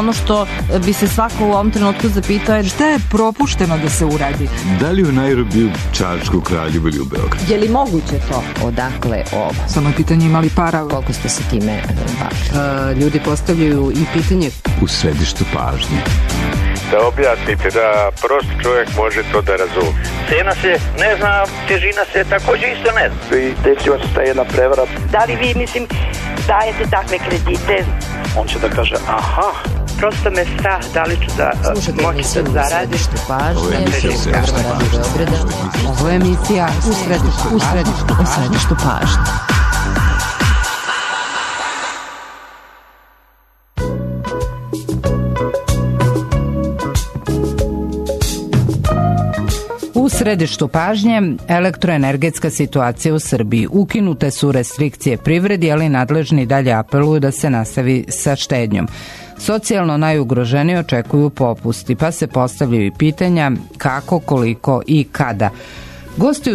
ono što bi se svako u ovom trenutku zapitao je šta je propušteno da se uradi? Da li u Nairobiju, Čačku, Kraljevu ili u Beogradu? Je li moguće to? Odakle ovo? Samo je pitanje imali para. Koliko ste se time bavili? Ljudi postavljaju i pitanje. U središtu pažnje. Da objasnite, da prost čovjek može to da razumije. Cena se ne zna, težina se također isto ne zna. I desila se ta jedna prevara. Da li vi, dajete takve kredite? On će da kaže, aha. Prosto me strah da li ću da moći da zaradim. Ovo je emisija U središtu pažnje. U središtu pažnje elektroenergetska situacija u Srbiji. Ukinute su restrikcije privredi, ali nadležni dalje apeluju da se nastavi sa štednjom. Socijalno najugroženiji očekuju popusti, pa se postavljaju i pitanja kako, koliko i kada. Gosti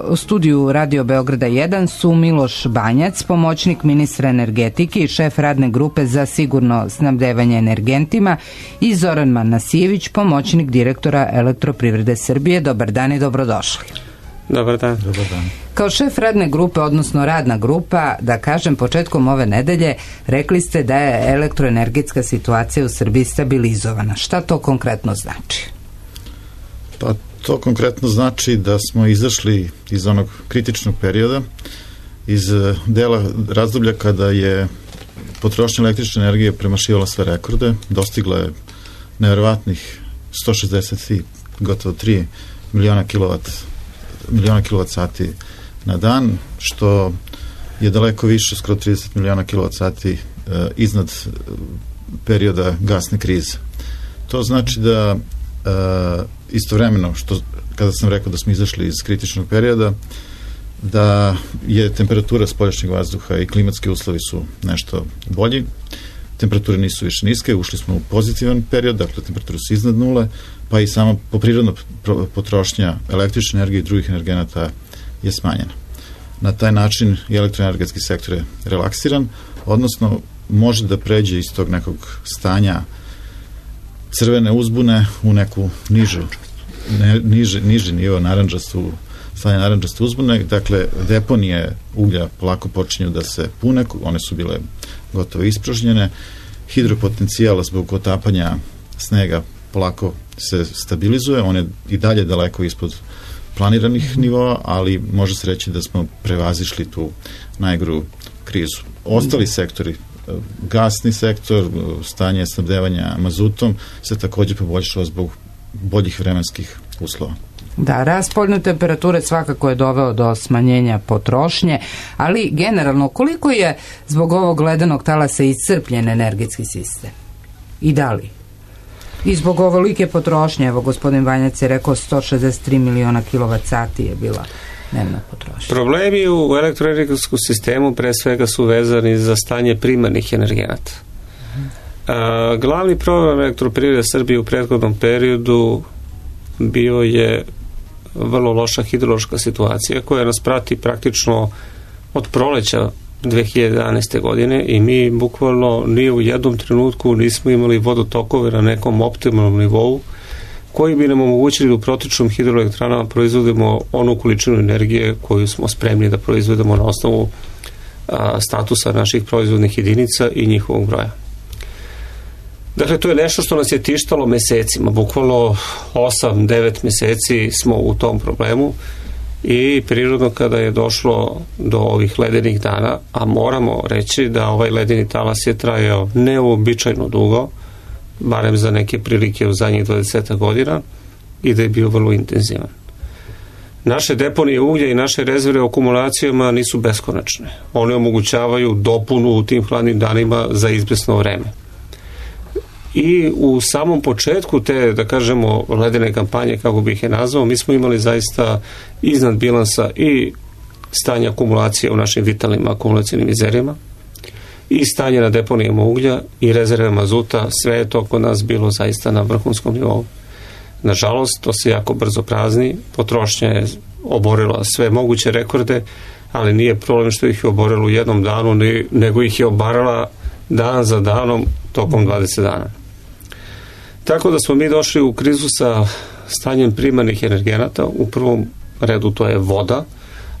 u studiju Radio Beograda 1 su Miloš Banjac, pomoćnik ministra energetike i šef radne grupe za sigurno snabdevanje energentima, i Zoran Manasijević, pomoćnik direktora Elektroprivrede Srbije. Dobar dan i dobrodošli. Dobar dan. Kao šef radne grupe, odnosno radna grupa, da kažem, početkom ove nedelje rekli ste da je elektroenergetska situacija u Srbiji stabilizovana. Šta to konkretno znači? Pa to konkretno znači da smo izašli iz onog kritičnog perioda, iz dela razdoblja kada je potrošnja električne energije premašivala sve rekorde, dostigla je neverovatnih 160 gotovo 3 miliona kilovat sati na dan, što je daleko više, skoro 30 miliona kilovat sati iznad perioda gasne krize. To znači da istovremeno, kada sam rekao da smo izašli iz kritičnog perioda, da je temperatura spoljašnjeg vazduha i klimatski uslovi su nešto bolji, temperature nisu više niske, ušli smo u pozitivan period, dakle temperature su iznad nule, pa i sama poprirodna potrošnja električne energije i drugih energenata je smanjena. Na taj način i elektroenergetski sektor je relaksiran, odnosno može da pređe iz tog nekog stanja crvene uzbune u neku niži nivo stanje narandžaste uzbune. Dakle, deponije uglja polako počinju da se pune, one su bile gotovo ispražnjene, hidropotencijala zbog otapanja snega polako se stabilizuje, on je i dalje daleko ispod planiranih nivoa, ali može se reći da smo prevazišli tu najgoru krizu. Ostali sektori, gasni sektor, stanje snabdevanja mazutom se također poboljšava zbog boljih vremenskih uslova. Da, rast spoljne temperature svakako je doveo do smanjenja potrošnje, ali generalno koliko je zbog ovog ledenog talasa iscrpljen energetski sistem? I da li? I zbog ovolike potrošnje, evo gospodin Banjac je rekao 163 miliona kilovat sati je bila dnevna potrošnja. Problemi u elektroenergetskom sistemu pre svega su vezani za stanje primarnih energenata. Glavni problem Elektroprivrede Srbije u prethodnom periodu bio je vrlo loša hidrološka situacija koja nas prati praktično od proleća 2011. godine i mi bukvalno ni u jednom trenutku nismo imali vodotokove na nekom optimalnom nivou koji bi nam omogućili da u protičnom hidroelektranama proizvodimo onu količinu energije koju smo spremni da proizvodimo na osnovu statusa naših proizvodnih jedinica i njihovog broja. Dakle, to je nešto što nas je tištalo mesecima, bukvalno 8-9 meseci smo u tom problemu i prirodno kada je došlo do ovih ledenih dana, a moramo reći da ovaj ledeni talas je trajao neuobičajno dugo, barem za neke prilike u zadnjih 20 godina, i da je bio vrlo intenzivan. Naše deponije uglja i naše rezerve u akumulacijama nisu beskonačne. One omogućavaju dopunu u tim hladnim danima za izvesno vreme. I u samom početku te, da kažemo, ledene kampanje, kako bih je nazvao, mi smo imali zaista iznad bilansa i stanje akumulacije u našim vitalnim akumulacijnim rezervima i stanje na deponijama uglja i rezerve mazuta, sve je to kod nas bilo zaista na vrhunskom nivou. Nažalost, to se jako brzo prazni, potrošnja je oborila sve moguće rekorde, ali nije problem što ih je oborila u jednom danu, nego ih je obarala dan za danom, tokom 20 dana. Tako da smo mi došli u krizu sa stanjem primarnih energenata. U prvom redu to je voda,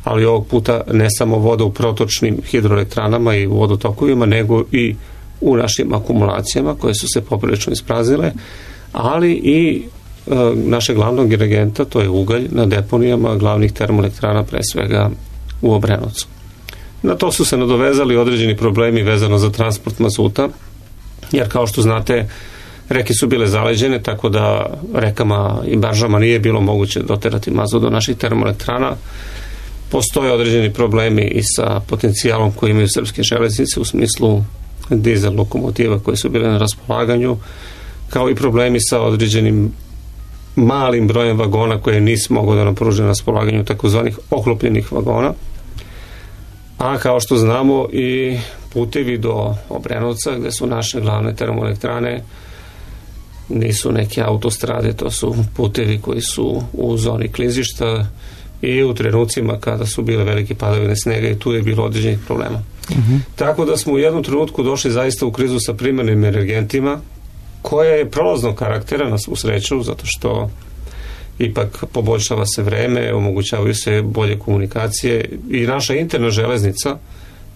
ali ovog puta ne samo voda u protočnim hidroelektranama i u vodotokovima, nego i u našim akumulacijama koje su se poprilično ispraznile, ali i našeg glavnog energenta, to je ugalj, na deponijama glavnih termoelektrana, pre svega u Obrenovcu. Na to su se nadovezali određeni problemi vezano za transport mazuta, jer kao što znate, reke su bile zaleđene, tako da rekama i baržama nije bilo moguće doterati mazut do naših termoelektrana. Postoje određeni problemi i sa potencijalom koji imaju srpske železnice u smislu dizel lokomotiva koje su bile na raspolaganju, kao i problemi sa određenim malim brojem vagona koje nisu mogli da nam pruže na raspolaganju, takozvanih oklopljenih vagona. A kao što znamo, i putevi do Obrenovca, gde su naše glavne termoelektrane, nisu neke autostrade, to su putevi koji su u zoni klizišta i u trenucima kada su bile velike padavine snega, i tu je bilo određenih problema. Tako da smo u jednom trenutku došli zaista u krizu sa primarnim energentima, koja je prolaznog karaktera, u sreću, zato što ipak poboljšava se vreme, omogućavaju se bolje komunikacije, i naša interna železnica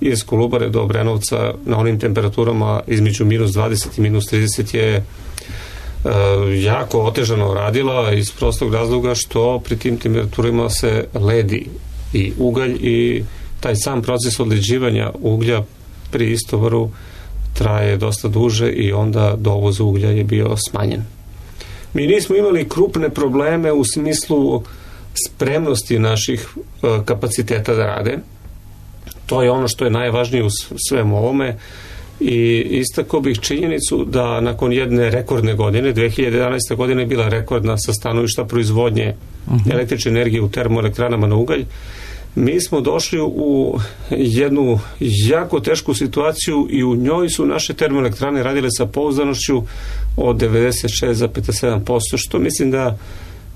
iz Kolubare do Obrenovca na onim temperaturama između minus 20 i minus 30 je jako otežano radila, iz prostog razloga što pri tim temperaturama se ledi i ugalj, i taj sam proces odleđivanja uglja pri istovaru traje dosta duže, i onda dovoz uglja je bio smanjen. Mi nismo imali krupne probleme u smislu spremnosti naših kapaciteta da rade. To je ono što je najvažnije u svemu ovome, i istakao bih činjenicu da nakon jedne rekordne godine, 2011. godina je bila rekordna sa stanovišta proizvodnje električne energije u termoelektranama na ugalj. Mi smo došli u jednu jako tešku situaciju, i u njoj su naše termoelektrane radile sa pouzdanošću od 96,7%, što mislim da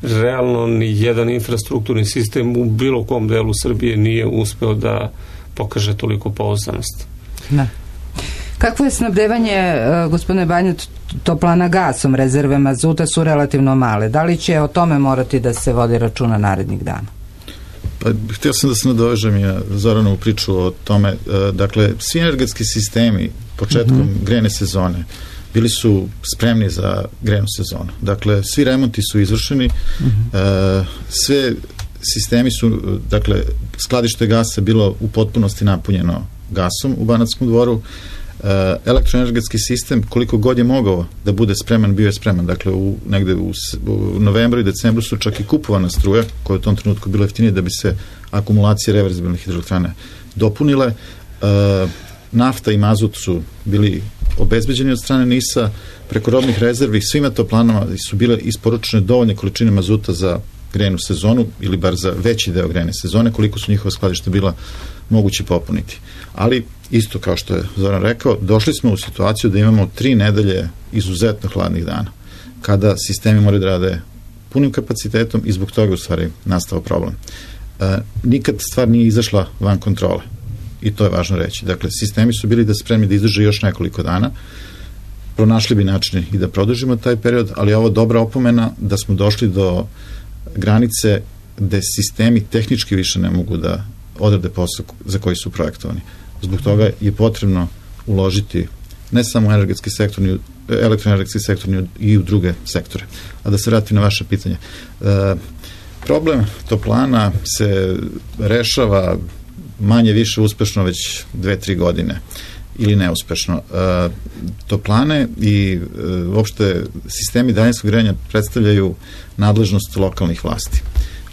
realno ni jedan infrastrukturni sistem u bilo kom delu Srbije nije uspeo da pokaže toliko pouzdanost. Da. Kakvo je snabdevanje, gospodine Banjac, toplana gasom? Rezerve mazuta su relativno male. Da li će o tome morati da se vodi računa narednih dana? Pa, htio sam da se nadovežem ja Zoranovu priču o tome. Dakle, svi energetski sistemi početkom grejne sezone bili su spremni za grejnu sezonu. Dakle, svi remonti su izvršeni, sve sistemi su, dakle, skladište gasa bilo u potpunosti napunjeno gasom u Banatskom Dvoru. Elektroenergetski sistem, koliko god je mogao da bude spreman, bio je spreman. Dakle, negde u novembru i decembru su čak i kupovana struja, koja je u tom trenutku bilo jeftinije, da bi se akumulacije reverzibilnih hidroelektrana dopunile. Nafta i mazut su bili obezbeđeni od strane NIS-a, preko robnih rezervi svima toplanama su bile isporučene dovoljne količine mazuta za grejnu sezonu, ili bar za veći deo grejne sezone, koliko su njihova skladišta bila moguće popuniti. Ali, isto kao što je Zoran rekao, došli smo u situaciju da imamo 3 nedelje izuzetno hladnih dana, kada sistemi moraju da rade punim kapacitetom, i zbog toga u stvari nastao problem. Nikad stvar nije izašla van kontrole, i to je važno reći. Dakle, sistemi su bili da spremni da izdrže još nekoliko dana, pronašli bi načine i da produžimo taj period, ali je ovo dobra opomena da smo došli do granice gde sistemi tehnički više ne mogu da odrade posao za koji su projektovani. Zbog toga je potrebno uložiti ne samo u energetski sektor, elektroenergetski sektor, i u druge sektore. A da se vratim na vaše pitanje. Problem toplana se rešava manje više uspešno već 2-3 godine, ili neuspešno. Toplane i uopšte sistemi daljinskog grejanja predstavljaju nadležnost lokalnih vlasti.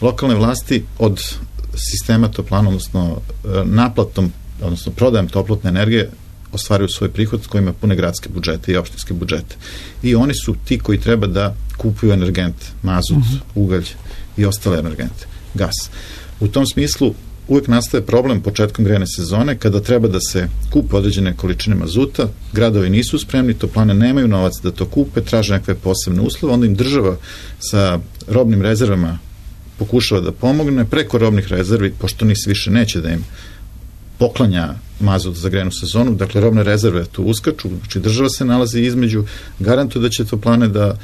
Lokalne vlasti od sistema toplana, odnosno naplatom, odnosno prodajem toplotne energije, ostvaruju svoj prihod s kojima pune gradske budžete i opštinske budžete. I oni su ti koji treba da kupuju energente, mazut, ugalj i ostale energente, gas. U tom smislu uvek nastaje problem početkom grejne sezone, kada treba da se kupe određene količine mazuta, gradovi nisu spremni, toplane nemaju novac da to kupe, traže nekakve posebne uslove, onda im država sa robnim rezervama pokušava da pomogne preko robnih rezervi, pošto NIS više neće da im poklanja mazut za grejnu sezonu, dakle robne rezerve tu uskaču, znači država se nalazi između, garantuje da će toplane da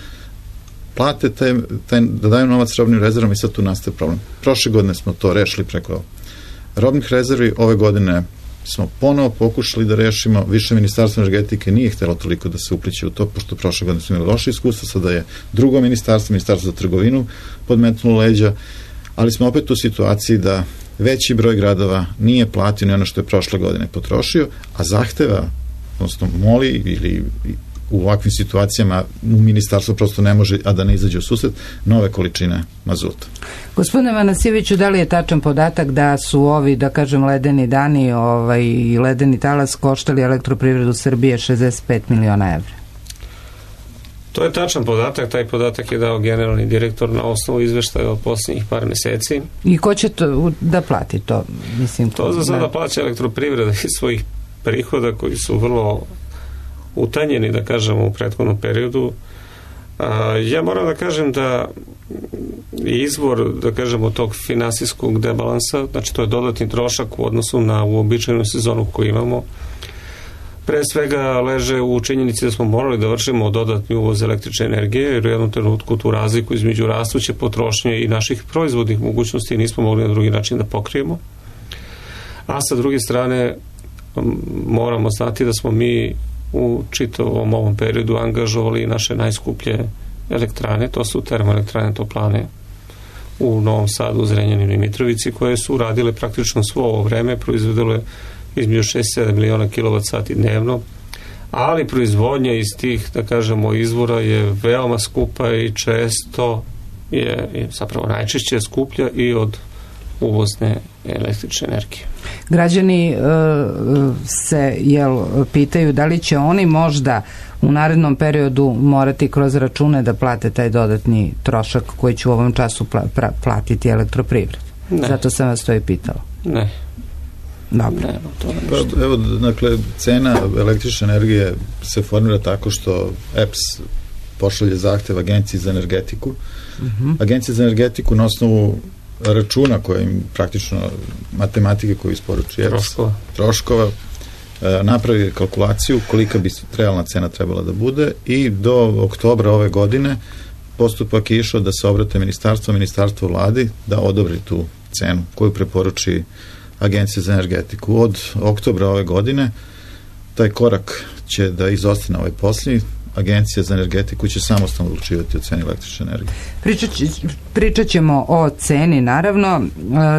plate da daju novac robnim rezervama i sad tu nastaje problem. Prošle godine smo to rešili preko robnih rezervi, ove godine smo ponovo pokušali da rešimo, više ministarstvo energetike nije htjelo toliko da se upliće u to, pošto prošle godine smo imali loše iskustva, sada je drugo ministarstvo za trgovinu podmetnulo leđa, ali smo opet u situaciji da veći broj gradova nije platio ni ono što je prošle godine potrošio, a zahteva, odnosno moli ili u ovakvim situacijama u ministarstvo prosto ne može, a da ne izađe u susret, nove količine mazuta. Gospodine Vanasijeviću, da li je tačan podatak da su ovi, da kažem, ledeni dani i ledeni talas koštali Elektroprivredu Srbije 65 miliona evra? To je tačan podatak, taj podatak je dao generalni direktor na osnovu izveštaja od posljednjih par meseci. I ko će to da plati to? Mislim, to za sada plaća Elektroprivreda iz svojih prihoda koji su vrlo utanjeni, da kažemo, u prethodnom periodu. Ja moram da kažem da izvor, da kažemo, tog finansijskog debalansa, znači to je dodatni trošak u odnosu na uobičajenu sezonu koju imamo, pre svega leže u činjenici da smo morali da vršimo dodatni uvoz električne energije, jer u jednom trenutku tu razliku između rastuće potrošnje i naših proizvodnih mogućnosti nismo mogli na drugi način da pokrijemo. A sa druge strane moramo znati da smo mi u čitavom ovom periodu angažovali naše najskuplje elektrane, to su termoelektrane toplane u Novom Sadu, Zrenjaninu i Mitrovici, koje su radile praktično svo ovo vreme, proizvodile između 6-7 miliona kWh dnevno, ali proizvodnja iz tih, da kažemo, izvora je veoma skupa i često je zapravo najčešće skuplja i od uvozne električne energije. Građani se pitaju da li će oni možda u narednom periodu morati kroz račune da plate taj dodatni trošak koji će u ovom času platiti Elektroprivreda. Zato sam vas to i pitala. Ne. Dobro. Pa, evo, dakle, cena električne energije se formira tako što EPS pošalje zahtev Agenciji za energetiku. Agencija za energetiku na osnovu računa koje im praktično matematike koju isporuči EPS, troškova, napravi kalkulaciju kolika bi realna cena trebala da bude i do oktobra ove godine postupak je išao da se obrate ministarstvo vladi da odobri tu cenu koju preporuči Agencija za energetiku. Od oktobra ove godine taj korak će da izostane ovaj posljednji. Agencija za energetiku će samostalno odlučivati o ceni električne energije. Pričat ćemo o ceni, naravno.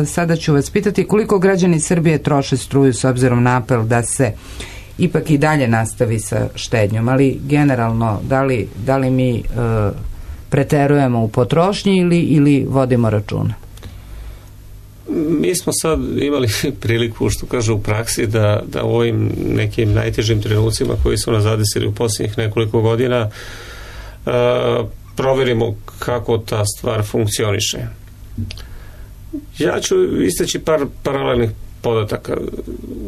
Sada ću vas pitati koliko građani Srbije troše struju s obzirom na apel da se ipak i dalje nastavi sa štednjom, ali generalno da li mi preterujemo u potrošnji ili vodimo računa? Mi smo sad imali priliku, što kaže, u praksi da u ovim nekim najtežim trenucima koji su nas zadesili u posljednjih nekoliko godina proverimo kako ta stvar funkcioniše. Ja ću istaći par paralelnih podataka.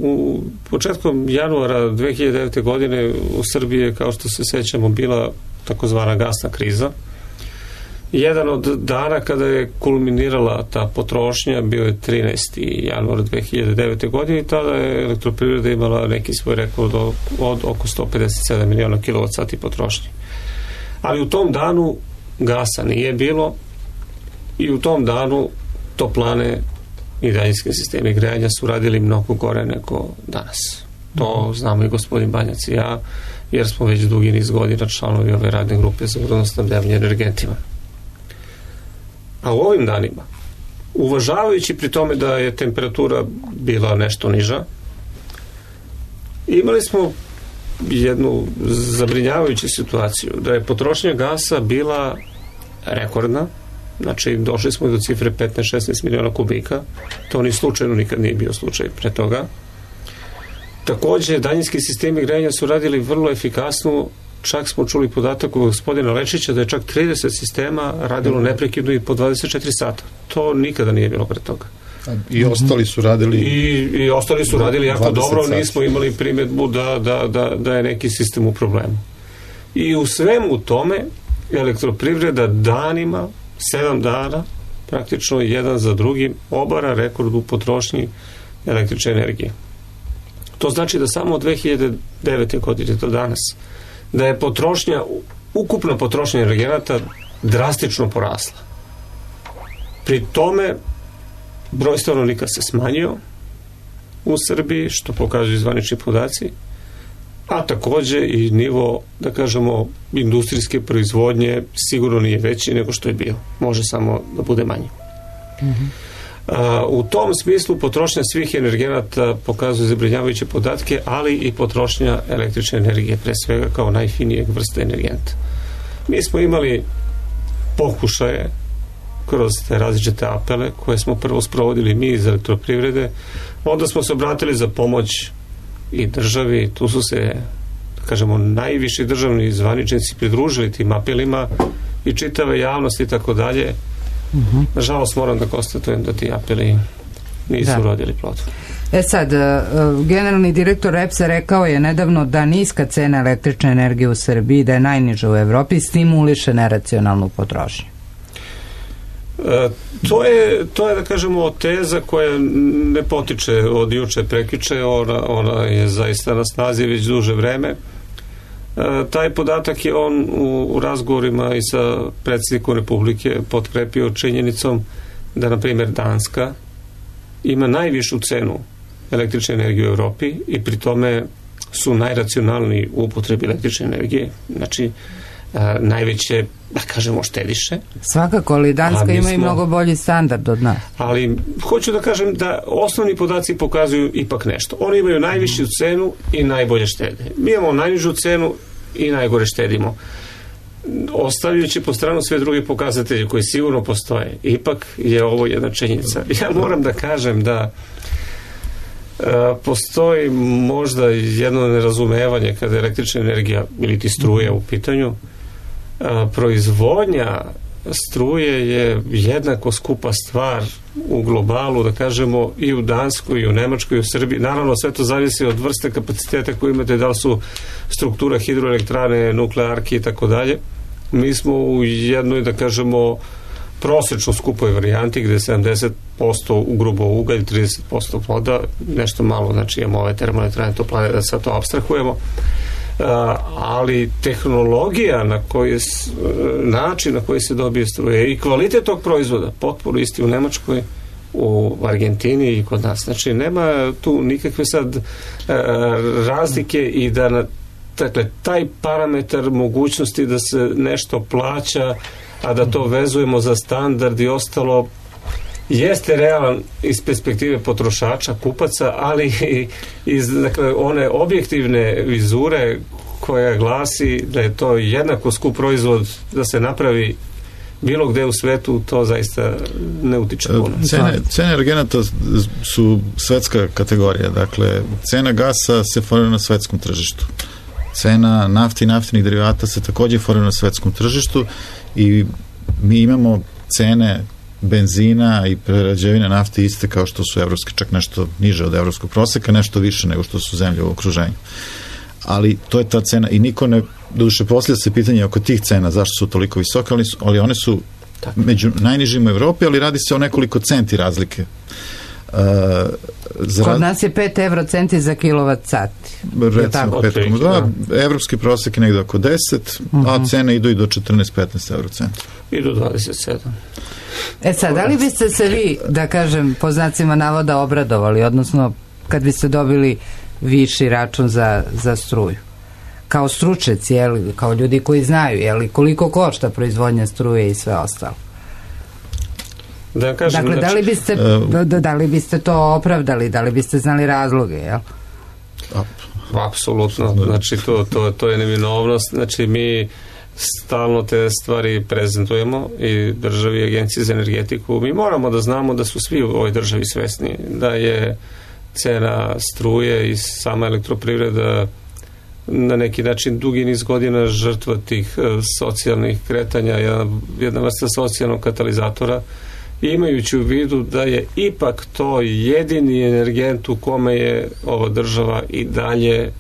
U početkom januara 2009. godine u Srbiji je, kao što se sećamo, bila takozvana gasna kriza. Jedan od dana kada je kulminirala ta potrošnja bio je 13. januar 2009. godine i tada je Elektroprivreda imala neki svoj rekord od oko 157 miliona kWh potrošnje. Ali u tom danu gasa nije bilo i u tom danu toplane i daljinski sistemi grejanja su radili mnogo gore nego danas. To znamo i gospodin Banjac i ja, jer smo već dugi niz godina članovi ove radne grupe za vodosnabdevanje energentima. A u ovim danima, uvažavajući pri tome da je temperatura bila nešto niža, imali smo jednu zabrinjavajuću situaciju, da je potrošnja gasa bila rekordna, znači došli smo do cifre 15-16 miliona kubika, to ni slučajno nikad nije bio slučaj pre toga. Također, daljinski sistemi grejanja su radili vrlo efikasno. Čak smo čuli podatak od gospodina Lečića da je čak 30 sistema radilo neprekidno i po 24 sata. To nikada nije bilo pre toga. I ostali su radili i ostali su radili jako dobro, nismo imali primjedbu da je neki sistem u problemu. I u svemu tome Elektroprivreda danima, 7 dana, praktično jedan za drugim, obara rekord u potrošnji električne energije. To znači da samo od 2009. godine do danas, da je ukupna potrošnja energenata drastično porasla. Pri tome broj stanovnika se smanjio u Srbiji, što pokazuju zvanični podaci, a takođe i nivo, da kažemo, industrijske proizvodnje sigurno nije veći nego što je bio. Može samo da bude manji. U tom smislu potrošnja svih energenata pokazuje zabrinjavajuće podatke, ali i potrošnja električne energije, pre svega kao najfinijeg vrste energenta. Mi smo imali pokušaje kroz te različite apele koje smo prvo sprovodili mi iz elektroprivrede, onda smo se obratili za pomoć i državi, tu su se, da kažemo, najviši državni zvaničnici pridružili tim apelima i čitave javnosti i tako dalje. Nažalost moram da konstatujem da ti apeli nisu rodili plod. Sad, generalni direktor EPS-a rekao je nedavno da niska cena električne energije u Srbiji, da je najniža u Evropi, stimuliše neracionalnu potrošnju. To je, da kažemo, teza koja ne potiče od juče prekjuče, ona je zaista na snazi već duže vreme. Taj podatak je on u razgovorima i sa predsjednikom Republike potkrepio činjenicom da, na primjer, Danska ima najvišu cenu električne energije u Evropi i pri tome su najracionalniji u upotrebi električne energije, znači najveće, da kažemo, štediše. Svakako, ali Danska ima i mnogo bolji standard od nas. Ali hoću da kažem da osnovni podaci pokazuju ipak nešto. Oni imaju najvišu cenu i najbolje štede. Mi imamo najnižu cenu i najgore štedimo. Ostavljajući po stranu sve druge pokazatelje koji sigurno postoje, ipak je ovo jedna činjenica. Ja moram da kažem da postoji možda jedno nerazumevanje kada je električna energija ili ti struje u pitanju. Proizvodnja struje je jednako skupa stvar u globalu, da kažemo, i u Danskoj, i u Nemačkoj, i u Srbiji. Naravno, sve to zavisi od vrste kapaciteta koje imate, da li su struktura hidroelektrane, nuklearki i tako dalje. Mi smo u jednoj, da kažemo, prosečno skupoj varijanti gde je 70% ugrubo ugalj, 30% voda, nešto malo, znači imamo ove termoelektrane, toplane, da sad to apstrahujemo. Ali tehnologija način na koji se dobije struje i kvalitet tog proizvoda potpuno isti u Nemačkoj, u Argentini i kod nas. Znači nema tu nikakve sad razlike i da dakle, taj parametar mogućnosti da se nešto plaća, a da to vezujemo za standard i ostalo, jeste realan iz perspektive potrošača, kupaca, ali i iz, dakle, one objektivne vizure koja glasi da je to jednako skup proizvod da se napravi bilo gde u svetu, to zaista ne utiče puno. Cene energenata su svetska kategorija. Dakle, cena gasa se formira na svetskom tržištu. Cena nafte i naftinih derivata se takođe formira na svetskom tržištu i mi imamo cene benzina i prerađevine nafte iste kao što su evropske, čak nešto niže od evropskog proseka, nešto više nego što su zemlje u okruženju. Ali to je ta cena i niko ne, doduše poslije se pitanje oko tih cena, zašto su toliko visoke, ali one su među najnižim u Evropi, ali radi se o nekoliko centi razlike. Kod nas je 5 eurocenti za kilovat sati. Recimo 5,2, evropski prosek je negde oko 10, a cene idu i do 14-15 eurocenta. I do 27. Sad, da li biste se vi, da kažem, po znacima navoda obradovali, odnosno kad biste dobili viši račun za struju? Kao stručnjaci, kao ljudi koji znaju, koliko košta proizvodnja struje i sve ostalo? Da kažem, dakle, da li biste to opravdali, da li biste znali razloge, jel? Apsolutno, znači to je neminovnost, znači mi stalno te stvari prezentujemo i državi i agenciji za energetiku. Mi moramo da znamo da su svi u ovoj državi svesni da je cena struje i sama elektroprivreda na neki način dugi niz godina žrtva tih socijalnih kretanja, jedna vrsta socijalnog katalizatora, imajući u vidu da je ipak to jedini energent u kome je ova država i dalje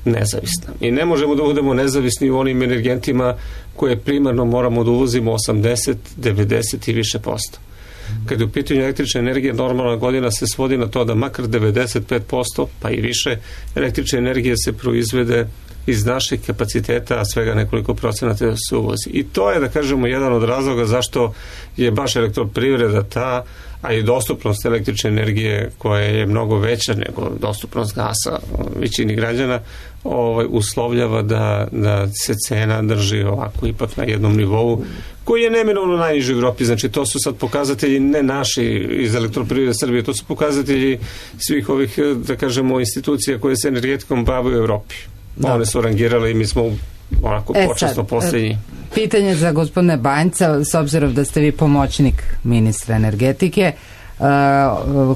nezavisna. I ne možemo da budemo nezavisni u onim energentima koje primarno moramo da uvozimo 80, 90 i više posto. Kad je u pitanju električne energije, normalna godina se svodi na to da makar 95%, pa i više, električne energije se proizvede iz naših kapaciteta, a svega nekoliko procenata se uvozi. I to je, da kažemo, jedan od razloga zašto je baš elektroprivreda ta, a i dostupnost električne energije koja je mnogo veća nego dostupnost gasa većini građana, uslovljava da se cena drži ovako ipak na jednom nivou koji je neminovno najniži u Evropi. Znači to su sad pokazatelji ne naši iz Elektroprivrede Srbije, to su pokazatelji svih ovih, da kažemo, institucija koje se energetikom bave u Evropi. One su rangirale i mi smo onako počasno posljednji. Pitanje za gospodine Banjca, s obzirom da ste vi pomoćnik ministra energetike,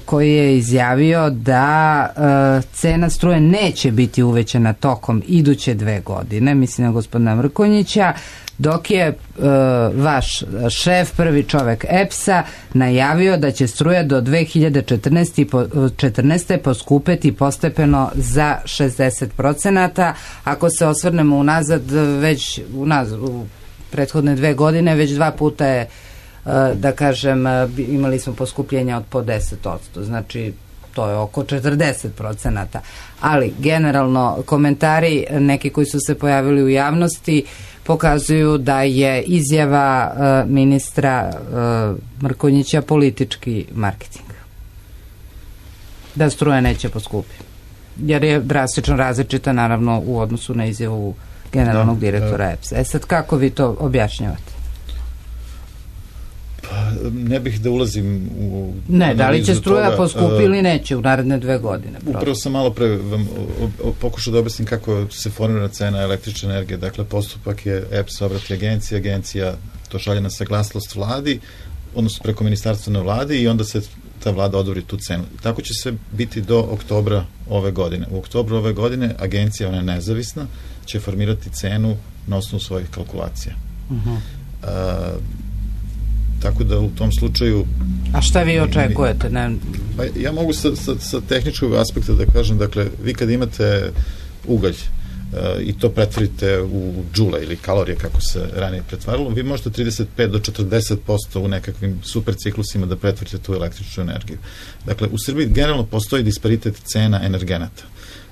koji je izjavio da cena struje neće biti uvećana tokom iduće 2 godine, mislim na gospodina Mrkonjića, dok je vaš šef, prvi čovek EPS-a, najavio da će struja do 2014. poskupeti postepeno za 60%. Ako se osvrnemo unazad, u prethodne 2 godine, već 2 puta je, da kažem, imali smo poskupljenja od po 10%, znači to je oko 40%. Ali generalno komentari, neki koji su se pojavili u javnosti, pokazuju da je izjava ministra Mrkonjića politički marketing. Da struja neće poskupiti. Jer je drastično različita, naravno, u odnosu na izjavu generalnog direktora EPS-a. Sad, kako vi to objašnjavate? Ne bih da ulazim u... Ne, da li će struja poskupi ili neće u naredne 2 godine? Upravo sam malo pre vam pokušao da objasnim kako se formira cena električne energije. Dakle, postupak je EPS obrati agencija to šalje na saglasnost vladi, odnosno preko ministarstva na vladi i onda se ta vlada odobri tu cenu. Tako će se biti do oktobra ove godine. U oktobru ove godine agencija, ona je nezavisna, će formirati cenu na osnovu svojih kalkulacija. Tako da u tom slučaju... A šta vi očekujete? Pa ja mogu sa tehničkog aspekta da kažem, dakle, vi kad imate ugalj i to pretvorite u džule ili kalorije kako se ranije pretvaralo, vi možete 35 do 40% u nekakvim super ciklusima da pretvorite tu električnu energiju. Dakle, u Srbiji generalno postoji disparitet cena energenata.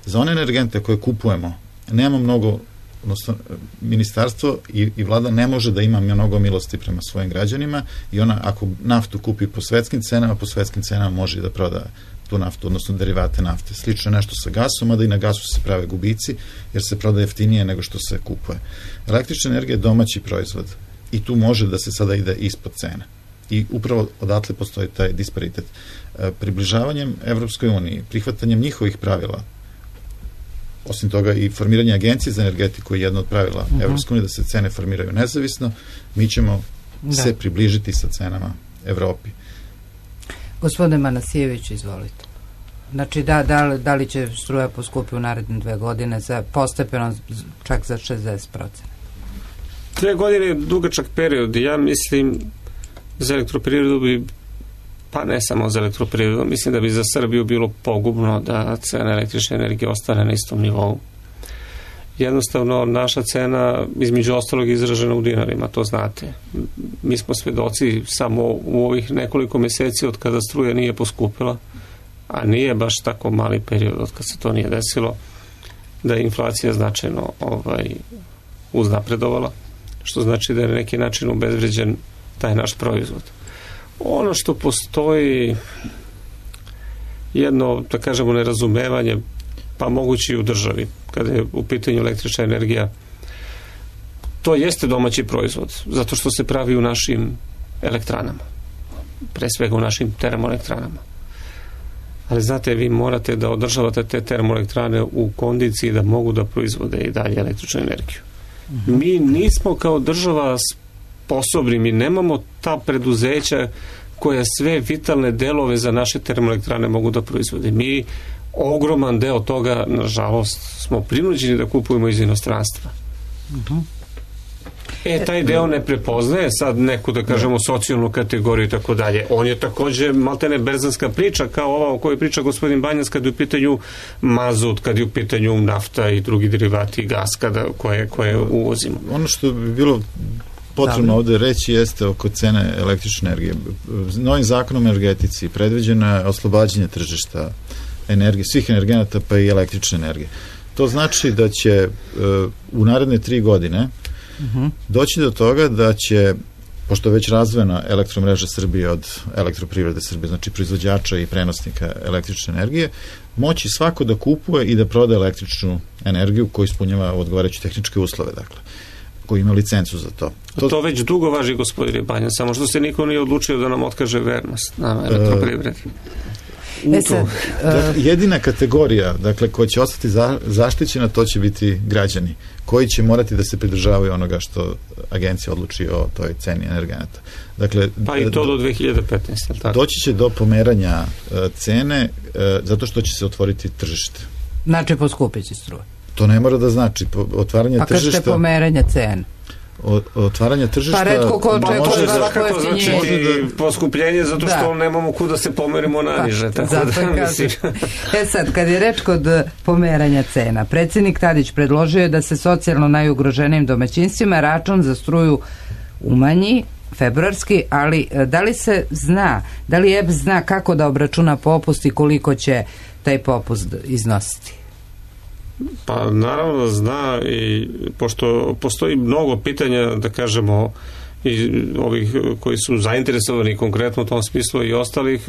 Za one energente koje kupujemo nema mnogo, odnosno ministarstvo i vlada ne može da ima mnogo milosti prema svojim građanima i ona ako naftu kupi po svetskim cenama može da proda tu naftu, odnosno derivate nafte. Slično nešto sa gasom, a da i na gasu se prave gubici jer se prodaje jeftinije nego što se kupuje. Električna energija je domaći proizvod i tu može da se sada ide ispod cene. I upravo odatle postoji taj disparitet. Približavanjem Evropskoj uniji, prihvatanjem njihovih pravila, osim toga i formiranje agencije za energetiku je jedno od pravila Evropske unije da se cene formiraju nezavisno, mi ćemo se približiti sa cenama Evropi. Gospodine Manasijević, izvolite. Znači, da li će struja poskupiti u naredne 2 godine za postepeno čak za 60%? 2 godine je dugačak period. Ja mislim za elektroprivredu bi, pa ne samo za elektroprivredu, mislim da bi za Srbiju bilo pogubno da cena električne energije ostane na istom nivou. Jednostavno, naša cena, između ostalog, izražena u dinarima, to znate. Mi smo svedoci samo u ovih nekoliko meseci od kada struja nije poskupila, a nije baš tako mali period od kada se to nije desilo, da je inflacija značajno uznapredovala, što znači da je na neki način obezvređen taj naš proizvod. Ono što postoji jedno, da kažemo, nerazumevanje, pa moguće i u državi, kada je u pitanju električna energija, to jeste domaći proizvod, zato što se pravi u našim elektranama, pre svega u našim termoelektranama. Ali znate, vi morate da održavate te termoelektrane u kondiciji da mogu da proizvode i dalje električnu energiju. Mi nismo kao država sposobni, mi nemamo ta preduzeća koja sve vitalne delove za naše termoelektrane mogu da proizvode. Mi ogroman deo toga, nažalost, smo prinuđeni da kupujemo iz inostranstva. Taj deo ne prepoznaje sad neku, da kažemo, socijalnu kategoriju i tako dalje. On je takođe maltene berzanska priča, kao ova o kojoj priča gospodin Banjac kad je u pitanju mazut, kad je u pitanju nafta i drugi derivati i gas koje uvozimo. Ono što bi bilo potrebno ovde reći jeste oko cene električne energije. Novim zakonom o energetici predviđeno je oslobađanje tržišta energije, svih energenata pa i električne energije. To znači da će u naredne 3 godine doći do toga da će, pošto je već razvojena elektromreža Srbije od Elektroprivrede Srbije, znači proizvođača i prenosnika električne energije, moći svako da kupuje i da proda električnu energiju koju ispunjava odgovarajuće tehničke uslove, dakle, koji ima licencu za to. To već dugo važi, gospodine Banjan, samo što se niko nije odlučio da nam otkaže vernost na Elektroprivredi. Jedina kategorija, dakle, koja će ostati zaštićena, to će biti građani, koji će morati da se pridržavaju onoga što agencija odluči o toj ceni energenata. Dakle, pa i to do 2015. Tako. Doći će do pomeranja cene zato što će se otvoriti tržište. Znači, poskupit će struja. To ne mora da znači. Otvaranje tržišta... kažete pomeranje cene? Otvaranje tržišta... Pa redko ko očekuje svakako znači poskupljenje zato što nemamo kuda se pomerimo naniže. Sad, kad je reč kod pomeranja cena, predsjednik Tadić predložio je da se socijalno najugroženijim domaćinstvima račun za struju umanji februarski, ali da li se zna, da li EPS zna kako da obračuna popust i koliko će taj popust iznositi? Pa naravno da zna, i pošto postoji mnogo pitanja, da kažemo, i ovih koji su zainteresovani konkretno u tom smislu i ostalih,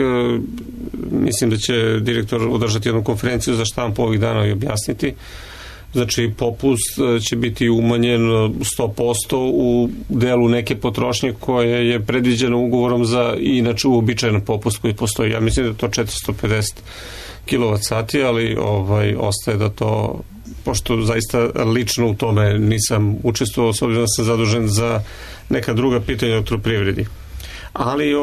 mislim da će direktor održati jednu konferenciju za štampu ovih dana i objasniti. Znači, popust će biti umanjen 100% u delu neke potrošnje koje je predviđeno ugovorom za inače uobičajen popust koji postoji. Ja mislim da je to 450 kWh, ali ostaje da to, pošto zaista lično u tome nisam učestvovao, s obzirom da sam zadužen za neka druga pitanja u Elektroprivredi. Ali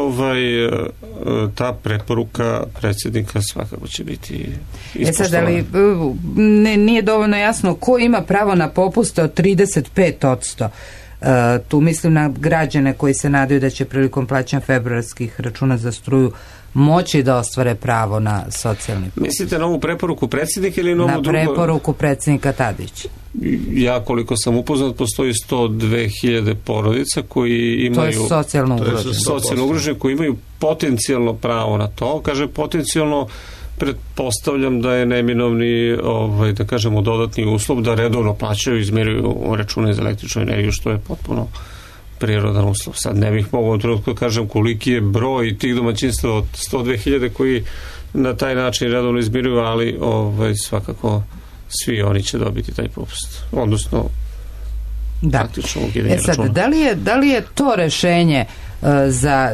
ta preporuka predsjednika svakako će biti ispoštovana. Sad, ali nije dovoljno jasno ko ima pravo na popuste od 35%. Tu mislim na građane koji se nadaju da će prilikom plaćanja februarskih računa za struju moći da ostvare pravo na socijalni popust. Mislite na ovu preporuku predsjednika ili na ovu drugu? Na preporuku predsjednika Tadića. Ja koliko sam upoznat, postoji 102.000 porodica koji imaju... To je socijalno ugroženi, koji imaju potencijalno pravo na to. Kaže potencijalno, pretpostavljam da je neminovni, da kažemo, dodatni uslov da redovno plaćaju i izmiruju račune za električnu energiju, što je potpuno prirodan uslov. Sad ne bih mogao trenutno kažem koliki je broj tih domaćinstva od 102.000 koji na taj način redovno izmiruju, ali svakako svi oni će dobiti taj popust. Odnosno, praktično ukidanje računa. Da li je to rešenje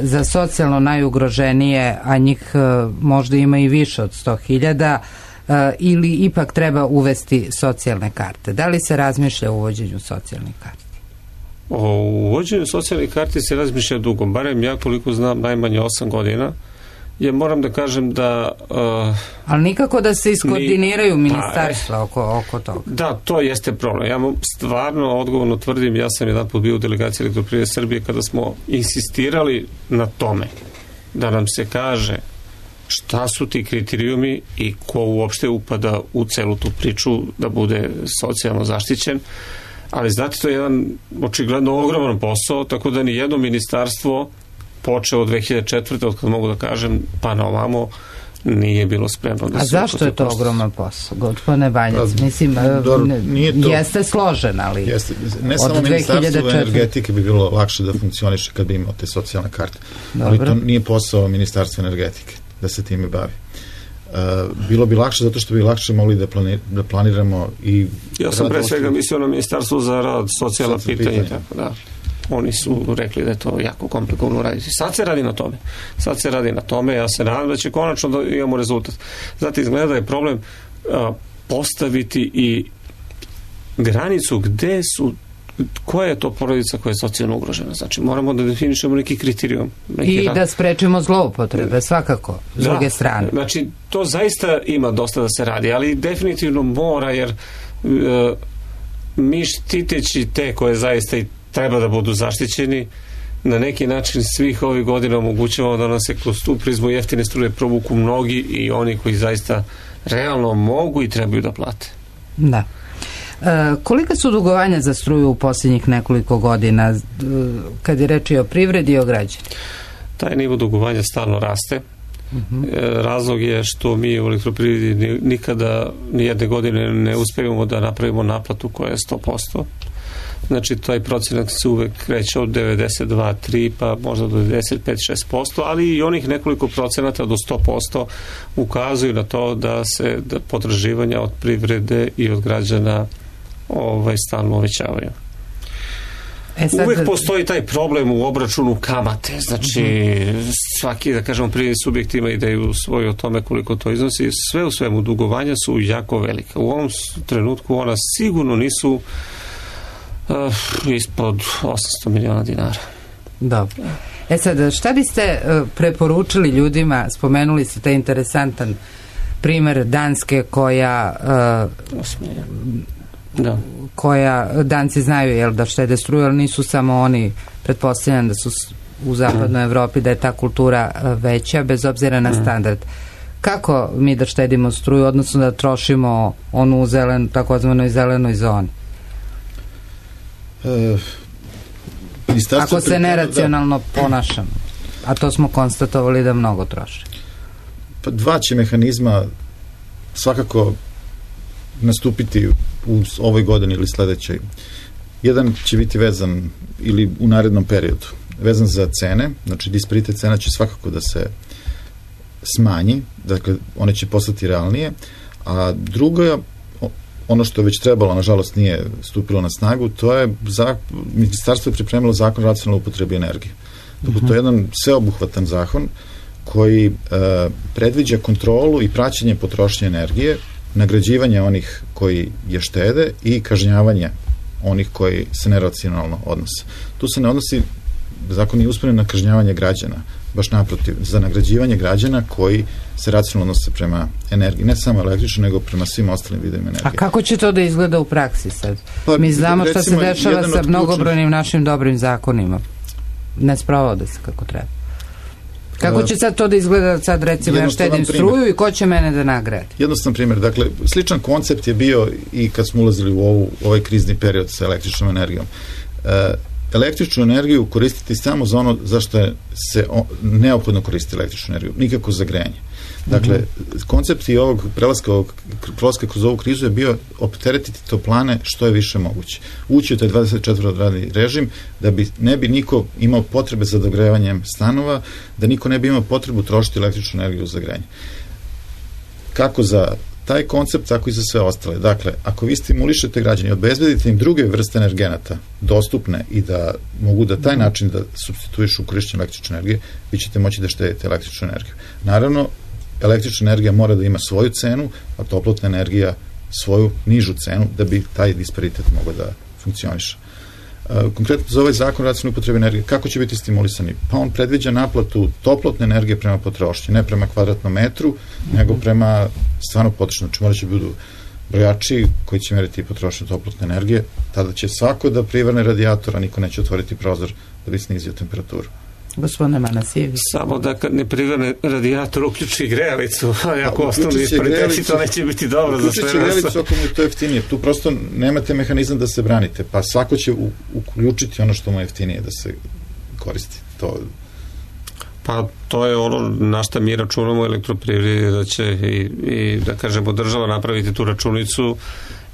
za socijalno najugroženije, a njih možda ima i više od 100.000, ili ipak treba uvesti socijalne karte? Da li se razmišlja o uvođenju socijalnih karti? O uvođenju socijalnih karti se razmišlja dugo, barem ja koliko znam najmanje 8 godina. Ja moram da kažem da... ali nikako da se iskoordiniraju ministarstva oko toga. Da, to jeste problem. Ja stvarno odgovorno tvrdim, ja sam jedan put bio u delegaciji Elektroprivrede Srbije kada smo insistirali na tome da nam se kaže šta su ti kriterijumi i ko uopšte upada u celu tu priču da bude socijalno zaštićen. Ali znate, to je jedan očigledno ogroman posao, tako da ni jedno ministarstvo počeo od 2004. od kada mogu da kažem pa na ovamo nije bilo spremno da se... A zašto je to ogroman posao, gospodine Banjac? Mislim, jeste složen, ali... Ne samo ministarstvo energetike bi bilo lakše da funkcioniše kad bi imao te socijalne karte. Ali to nije posao ministarstva energetike da se time bavi. Bilo bi lakše zato što bi lakše mogli da planiramo i... Ja sam pre svega mislio na ministarstvo za rad, socijalna pitanja, tako da... Oni su rekli da je to jako komplikovano raditi. Sad se radi na tome. Ja se nadam da će konačno da imamo rezultat. Znate, izgleda da je problem postaviti i granicu koja je to porodica koja je socijalno ugrožena. Znači, moramo da definišemo neki kriterijum. I da sprečimo zloupotrebe, svakako, s druge strane. Znači, to zaista ima dosta da se radi, ali definitivno mora, jer mi štiteći te koje zaista i treba da budu zaštićeni, na neki način svih ovih godina omogućavamo da nam se kroz tu prizmu jeftine struje provuku mnogi i oni koji zaista realno mogu i trebaju da plate. Da. Kolika su dugovanja za struju u posljednjih nekoliko godina kad je reč i o privredi i o građani? Taj nivo dugovanja stalno raste. Razlog je što mi u elektroprivredi nikada nijedne godine ne uspevamo da napravimo naplatu koja je 100%. Znači, taj procenat se uvek kreće od 92, 3, pa možda do 95, 6%, ali i onih nekoliko procenata do 100% ukazuju na to da se potraživanja od privrede i od građana stalno uvećavaju. Uvijek postoji taj problem u obračunu kamate, znači svaki, da kažemo, privredni subjekt ima ideju svoju o tome koliko to iznosi. Sve u svemu dugovanja su jako velika. U ovom trenutku ona sigurno nisu ispod 800 miliona dinara. Dobro. Sad, šta biste preporučili ljudima, spomenuli ste taj interesantan primer Danske koja Danci znaju da štede struju, ali nisu samo oni, pretpostavljam da su u zapadnoj Evropi, da je ta kultura veća bez obzira na standard. Kako mi da štedimo struju, odnosno da trošimo onu u takozvanoj zelenoj zoni? Ako se neracionalno ponašamo, a to smo konstatovali da mnogo troši. Pa dva će mehanizma svakako nastupiti u ovoj godini ili sledećoj. Jedan će biti vezan ili u narednom periodu vezan za cene, znači disparitet cena će svakako da se smanji, dakle one će postati realnije, a drugo, ono što je već trebalo, nažalost nije stupilo na snagu, to je ministarstvo je pripremilo zakon o racionalnoj upotrebi energije. Dakle, to je jedan sveobuhvatan zakon koji predviđa kontrolu i praćenje potrošnje energije, nagrađivanje onih koji je štede i kažnjavanje onih koji se neracionalno odnose. Tu se ne odnosi, zakon nije usmeren na kažnjavanje građana, baš naprotiv, za nagrađivanje građana koji se racionalno odnose prema energiji, ne samo električno, nego prema svim ostalim vidovima energije. A kako će to da izgleda u praksi sad? Mi znamo šta se dešava sa mnogobrojnim našim dobrim zakonima. Ne sprovode se kako treba. Kako će sad to da izgleda sad, recimo, ja štedim struju i ko će mene da nagradi? Jednostavan primjer. Dakle, sličan koncept je bio i kad smo ulazili u ovaj krizni period sa električnom energijom. Električnu energiju koristiti samo za ono zašto se neophodno koristi električnu energiju, nikako za grejanje. Dakle, koncept i ovog prelaska kroz ovu krizu je bio opteretiti toplane što je više moguće. Ući u taj 24-radni režim da ne bi niko imao potrebe za dogrevanjem stanova, da niko ne bi imao potrebu trošiti električnu energiju za grejanje. Kako za taj koncept, tako i za sve ostale. Dakle, ako vi stimulišete građane, obezbedite im druge vrste energenata dostupne i da mogu da taj način da supstituišu korišćenje električne energije, vi ćete moći da štedite električnu energiju. Naravno, električna energija mora da ima svoju cenu, a toplotna energija svoju nižu cenu da bi taj disparitet mogao da funkcioniše. Konkretno za ovaj zakon o racionalnoj upotrebi energije, kako će biti stimulisani? Pa on predviđa naplatu toplotne energije prema potrošnji, ne prema kvadratnom metru, nego prema stvarno potrošnju. Znači morat će budu brojači koji će meriti potrošnju toplotne energije, tada će svako da privrne radijator, a niko neće otvoriti prozor da bi snizio temperaturu. Gospodine Manasijević. Samo da kad ne privrne radijator uključi grejalicu, ako ostanu dispariteti, to neće biti dobro za sve nas. Uključit će grejalicu ako mu je to jeftinije. Tu prosto nemate mehanizam da se branite, pa svako će uključiti ono što mu je jeftinije da se koristi. Pa to je ono na šta mi računamo u elektroprivredi, da će i da kažemo država napraviti tu računicu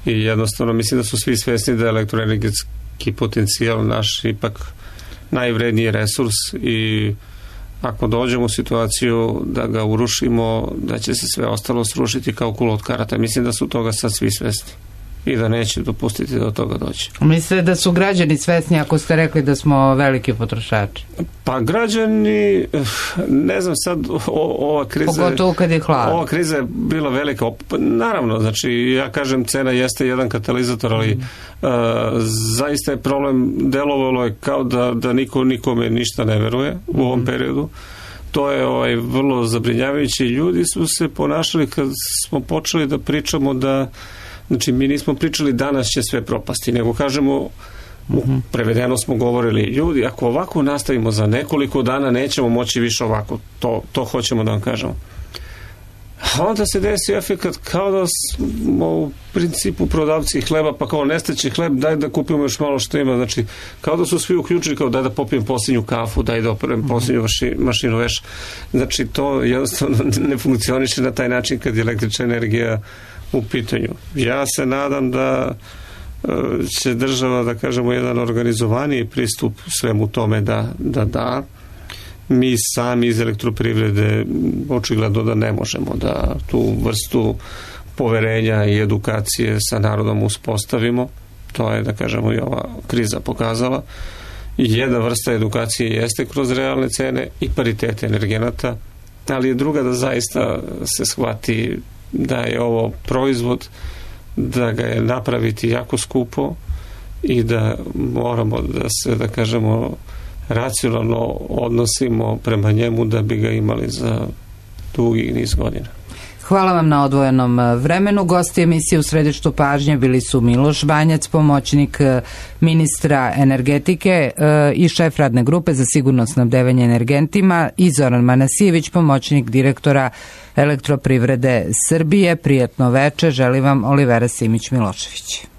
i jednostavno mislim da su svi svesni da je elektroenergetski potencijal naš ipak najvredniji resurs i ako dođemo u situaciju da ga urušimo, da će se sve ostalo srušiti kao kula od karata. Mislim da su toga sad svi svesni i da neće dopustiti da od toga dođe. Mislite da su građani svesni ako ste rekli da smo veliki potrošači? Pa građani, ne znam sad, ova kriza... Pogotovo kad je hladno. Ova kriza je bila velika. Naravno, znači, ja kažem, cena jeste jedan katalizator, ali zaista je problem, delovalo je kao da niko nikome ništa ne veruje u ovom periodu. To je vrlo zabrinjavajuće. Ljudi su se ponašali kad smo počeli da pričamo da znači, mi nismo pričali danas će sve propasti, nego kažemo, prevedeno smo govorili, ljudi, ako ovako nastavimo za nekoliko dana, nećemo moći više ovako. To hoćemo da vam kažemo. a onda se desi efekat kao da smo u principu prodavci hleba, pa kao nestaće hleb, daj da kupimo još malo što ima, znači kao da su svi uključili, kao daj da popijem posljednju kafu, daj da operem posljednju mašinu veš, znači to jednostavno ne funkcioniše na taj način kad je električna energija u pitanju. Ja se nadam da će država, da kažemo, jedan organizovaniji pristup svemu tome da mi sami iz elektroprivrede očigledno da ne možemo da tu vrstu poverenja i edukacije sa narodom uspostavimo. To je, da kažemo, i ova kriza pokazala. Jedna vrsta edukacije jeste kroz realne cene i paritete energenata, ali je druga da zaista se shvati da je ovo proizvod, da ga je napraviti jako skupo i da moramo da se, da kažemo, racionalno odnosimo prema njemu da bi ga imali za dugi niz godina. Hvala vam na odvojenom vremenu. Gosti emisije U središtu pažnje bili su Miloš Banjac, pomoćnik ministra energetike i šef radne grupe za sigurno snabdevanje energentima, i Zoran Manasijević, pomoćnik direktora Elektroprivrede Srbije. Prijatno veče, želim vam Olivera Simić-Milošević.